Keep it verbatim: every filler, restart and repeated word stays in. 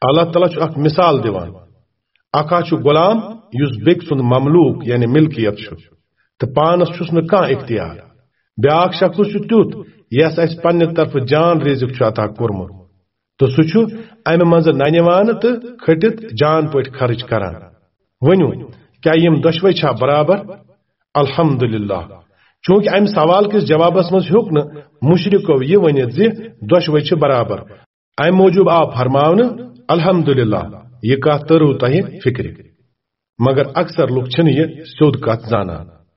اللہ تعالیٰ چھُ اکھ مثال دِوان۔ اکھ ہا چھُ غلام، یُس بیٚکہِ سُنٛد مملوک یعنی ملکیت چھُ، تہٕ پانس چھُس نہٕ کانٛہہ اختیار۔ بیٛاکھ شخص چھُ تیُتھ، یس اسہِ پننہِ طرفہٕ جان رزق چھُ عطا کوٚرمُت، تہٕ سُہ چھُ امہِ منٛزٕ ننہِ وانہٕ تہٕ کھٔٹِتھ جان پٲٹھۍ خرٕچ کران۔ ؤنِو، کیٛاہ یِم دۄشوے چھا برابر؟ الحمدللہ۔ چونکہ امہِ سوال کِس جوابس منٛز ہیوٚک نہٕ مشرکو یہِ ؤنِتھ زِ دۄشوے چھِ برابر، امہِ موٗجوٗب آو فرماونہٕ، الحمدللہ، یہِ کتھ تٔرٕو تۄہہِ فکرِ۔ مگر اکثر لُکھ چھِنہٕ یہِ سیوٚد کتھ زانان۔